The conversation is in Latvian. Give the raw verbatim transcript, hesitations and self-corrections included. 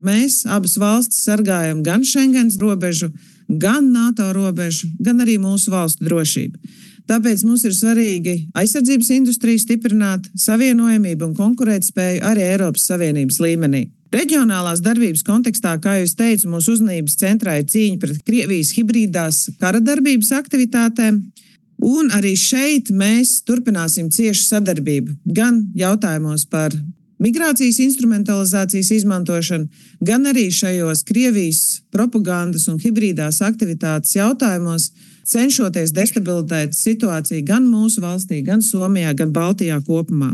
Mēs abas valstis sargājam gan Schengens robežu, gan NATO robežu, gan arī mūsu valstu drošību. Tāpēc mums ir svarīgi aizsardzības industriju stiprināt, savienojamību un konkurētspēju arī Eiropas Savienības līmenī. Reģionālās darbības kontekstā, kā jau es teicu, mūsu uzmanības centrā ir cīņa pret Krievijas hibrīdās kara darbības aktivitātēm, un arī šeit mēs turpināsim ciešu sadarbību gan jautājumos par migrācijas instrumentalizācijas izmantošanu, gan arī šajos Krievijas propagandas un hibrīdās aktivitātes jautājumos, cenšoties destabilizēt situāciju gan mūsu valstī, gan Somijā, gan Baltijā kopumā.